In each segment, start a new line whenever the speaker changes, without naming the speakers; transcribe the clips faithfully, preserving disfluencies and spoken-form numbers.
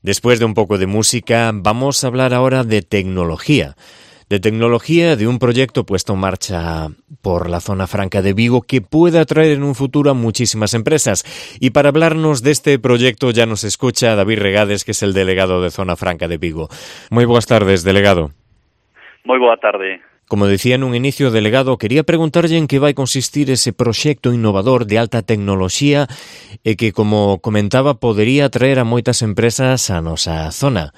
Después de un poco de música, vamos a hablar ahora de tecnología. De tecnología, de un proyecto puesto en marcha por la Zona Franca de Vigo que puede atraer en un futuro a muchísimas empresas. Y para hablarnos de este proyecto ya nos escucha David Regades, que es el delegado de Zona Franca de Vigo. Muy buenas tardes, delegado.
Moi boa tarde.
Como decía en un inicio, delegado, quería preguntarlle en que vai consistir ese proxecto innovador de alta tecnoloxía e que, como comentaba, podería atraer a moitas empresas a nosa zona.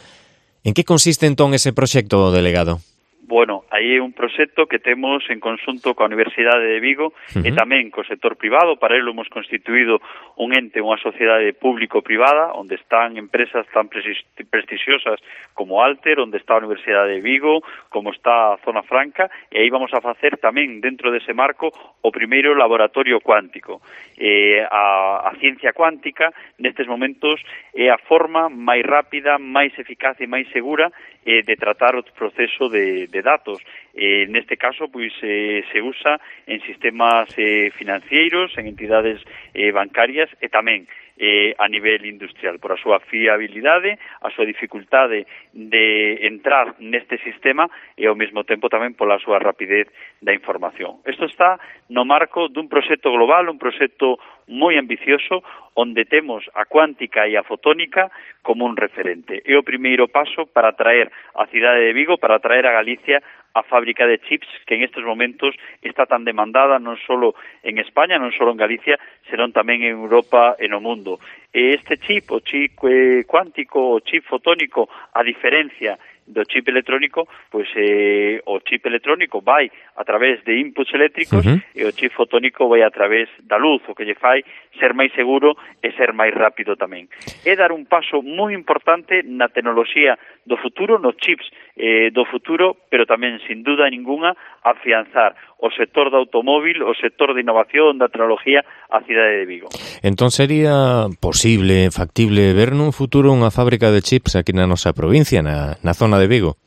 En que consiste entón ese proxecto, delegado?
Bueno, aí é un proxecto que temos en conxunto coa Universidade de Vigo uh-huh. e tamén co sector privado. Para ello hemos constituído un ente, unha sociedade público-privada, onde están empresas tan prestixiosas como Alter, onde está a Universidade de Vigo, como está a Zona Franca, e aí vamos a facer tamén, dentro dese marco, o primeiro laboratorio cuántico. Eh, a, a ciencia cuántica, nestes momentos, é a forma máis rápida, máis eficaz e máis segura eh, de tratar o proceso de, de datos. Eh, neste caso, pois, eh, se usa en sistemas eh, financeiros, en entidades eh, bancarias e tamén eh, a nivel industrial, por a súa fiabilidade, a súa dificultade de entrar neste sistema e ao mesmo tempo tamén pola súa rapidez da información. Isto está no marco dun proxecto global, un proxecto moi ambicioso, onde temos a cuántica e a fotónica como un referente. É o primeiro paso para traer a cidade de Vigo, para traer a Galicia a fábrica de chips que en estes momentos está tan demandada non só en España, non só en Galicia, senón tamén en Europa e no mundo. E este chip, o chip eh, cuántico, o chip fotónico, a diferencia do chip electrónico, pois eh, o chip electrónico vai a través de inputs eléctricos uh-huh. e o chip fotónico vai a través da luz, o que lle fai ser máis seguro e ser máis rápido tamén. É dar un paso moi importante na tecnoloxía do futuro, nos chips eh, do futuro, pero tamén, sin duda ninguna, afianzar o sector do automóvil, o sector de innovación, da tecnología, a cidade de Vigo.
Entón sería posible, factible, ver nun futuro unha fábrica de chips aquí na nosa provincia, na, na zona de Vigo?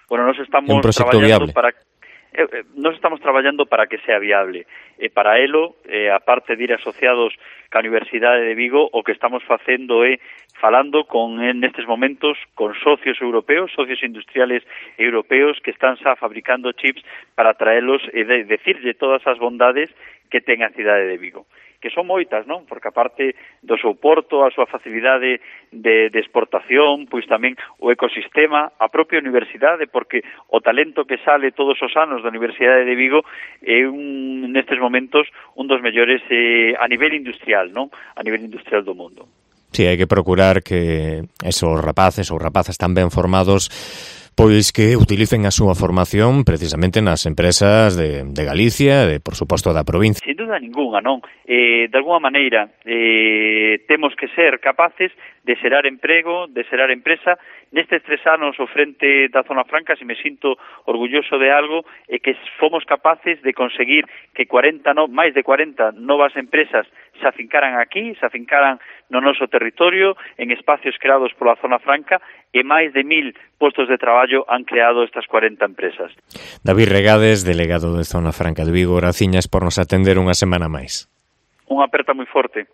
Bueno, nos estamos traballando para eh, eh, nos estamos traballando para que sea viable. E para elo, eh, aparte de ir asociados ca Universidade de Vigo, o que estamos facendo é falando con en estes momentos con socios europeos, socios industriales europeos que están xa fabricando chips para traelos e de, decirlle todas as bondades que ten a cidade de Vigo, que son moitas, non? Porque aparte do seu porto, a súa facilidade de, de exportación, pois tamén o ecosistema, a propia universidade, porque o talento que sale todos os anos da Universidade de Vigo é un, nestes momentos un dos mellores eh, a nivel industrial, non? A nivel industrial do mundo.
Sí, hai que procurar que esos rapaces ou rapazas tan ben formados pois que utilicen a súa formación precisamente nas empresas de, de Galicia e, por suposto, da provincia.
Sin duda ninguna, non? Eh, de alguma maneira, eh, temos que ser capaces de xerar emprego, de xerar empresa. Nestes tres anos ao frente da Zona Franca, se me sinto orgulloso de algo, é que fomos capaces de conseguir que cuarenta, no, máis de cuarenta novas empresas se afincaran aquí, se afincaran no noso territorio, en espacios creados pola Zona Franca, e máis de mil postos de traballo han creado estas cuarenta empresas.
David Regades, delegado de Zona Franca de Vigo, graciñas por nos atender unha semana máis.
Unha aperta moi forte.